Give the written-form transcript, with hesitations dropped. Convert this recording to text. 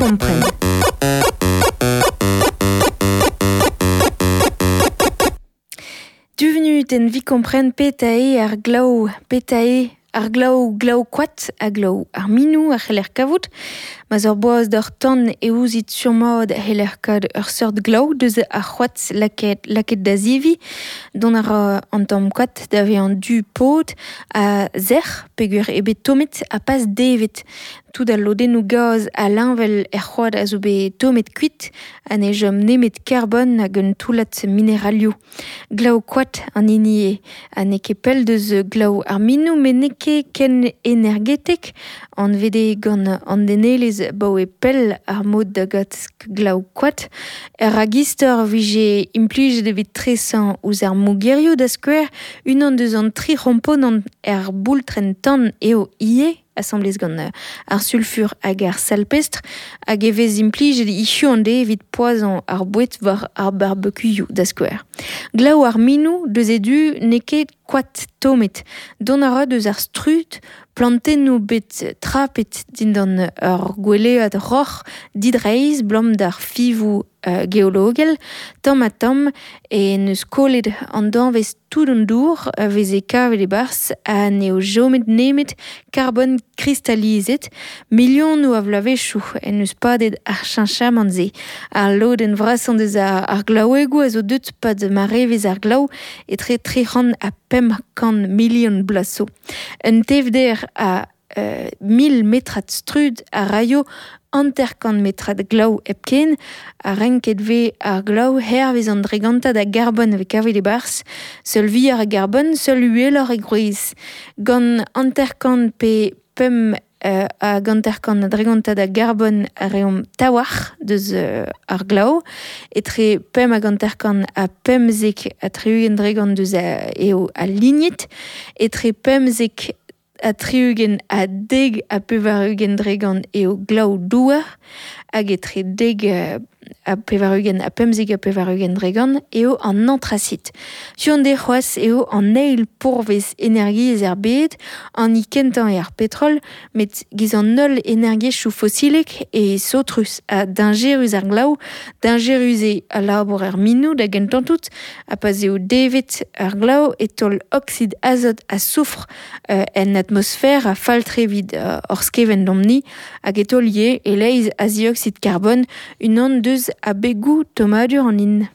kompren. Du venutenn 'vit kompren petra eo ar glav, petra eo ar glav glav-koad ha glav ar minoù a c'heller kavout. Ma 'z ur boaz d'hor tan e ouzit sur-mat e c'heller kaout ur seurt glav deus ar c'hoad lakaet lakaet da zeviñ. Dont a ra an tamm koad da vezañ du-pod ha sec'h peogwir eo bet tommet ha pas devet. Tout al lodennoù gaz ha liñvel er c'hoad a zo bet tommet kuit ha ne chom nemet karbon hag un toullad mineralioù. Glav-koad an hini eo ha n'eo ket pell deus glav ar minoù met n'eo ket ken energetek. Anvet eo gant an denelezh abaoe pell ar mod da gat glav-koad. Er ragistor 'vije implijet evit tresañ ouzh ar mogerioù da skouer. Unan deus an tri c'homponant er boultrenn-tan eo ivez. asambles gant ar sulfur hag ar salpestr hag e vez implijet hiziv an deiz evit poazhañ ar boued war ar barbecuioù da skouer. Glav ar minoù deus e du n'eo ket koad tommet. Dont a ra deus ar strud plantennoù bet trapet dindan ur gwelead roc'h didreizh 'blam d'ar fiñvoù geologel. Tamm-ha-tamm e n'eus kollet an danvez tout an dour a veze kavet e-barzh ha n'eo chomet nemet karbon kristalizet. Milionoù a vloavezhioù en deus padet ar cheñchamant-se. Al lodenn vrasañ deus ar glaouegoù a zo deuet 'pad marevezh ar glav etre 300 ha 500 milion bloaz zo. Un tevder a 1000 metrad strud a raio 50 metrad glav hepken ha renket 'vez ar glav hervez an dregantad a garbon a vez kavet e-barzh. Seul vuioc'h a garbon, seul uheloc'h e gwrez. Gant 50 pe pemp hag 50 a dregantad a garbon a reomp tawalc'h deus ar glav. Etre 5 hag 50 ha 15 ha 60 dregant deus eo al lignit. Etre 15 ha 60 ha 90 dregant eo glav douar hag etre 90 ha 95 dregant eo an antrasit. Sur-on c'hoazh eo an eil pourvez energiezh er bed, an hini kentañ eo ar petrol, met giz an holl energiezhioù fosilek eo saotrus ha dañjerus ar glav, dañjerus eo al labour er minoù da gentañ-tout, ha pa'z eo devet ar glav e taol oksid azot ha soufr en atmosfer ha fall-tre evit hor skevent domp-ni hag e taol ivez e-leizh a zioksid karbon, unan deus abegoù tommadur an hin.